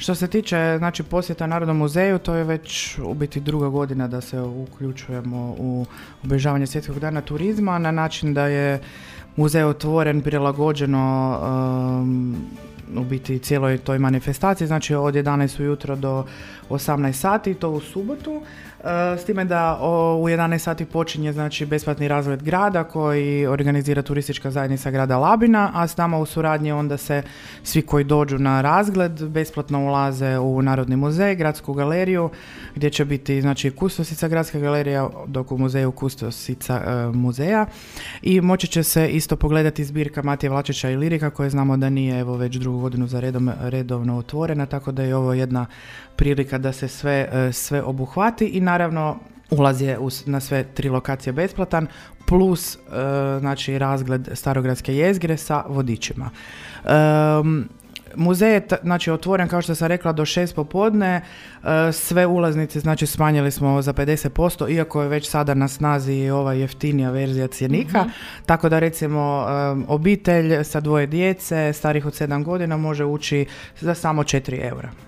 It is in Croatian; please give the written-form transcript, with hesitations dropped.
Što se tiče znači, posjeta Narodnom muzeju, to je već u biti druga godina da se uključujemo u obilježavanje Svjetskog dana turizma na način da je muzej otvoren prilagođeno u biti cijeloj toj manifestaciji, znači od 11 ujutro do 18 sati, to u subotu. S time da u 11 sati počinje znači, besplatni razgled grada koji organizira turistička zajednica grada Labina, a s nama u suradnji onda se svi koji dođu na razgled besplatno ulaze u Narodni muzej, gradsku galeriju, gdje će biti znači, kustosica gradska galerija, dok u muzeju kustosica muzeja. I moći će se isto pogledati zbirka Matije Vlačića i Lirika, koje znamo da nije evo, već drugu godinu za redovno otvorena, tako da je ovo jedna prilika da se sve obuhvati i naravno ulaz je na sve 3 lokacije besplatan plus znači razgled Starogradske jezgre sa vodičima. Muzej je znači, otvoren, kao što sam rekla, do 6 popodne. Sve ulaznice znači, smanjili smo za 50%, iako je već sada na snazi ova jeftinija verzija cjenika. Tako da recimo obitelj sa 2 djece, starih od 7 godina, može ući za samo 4 eura.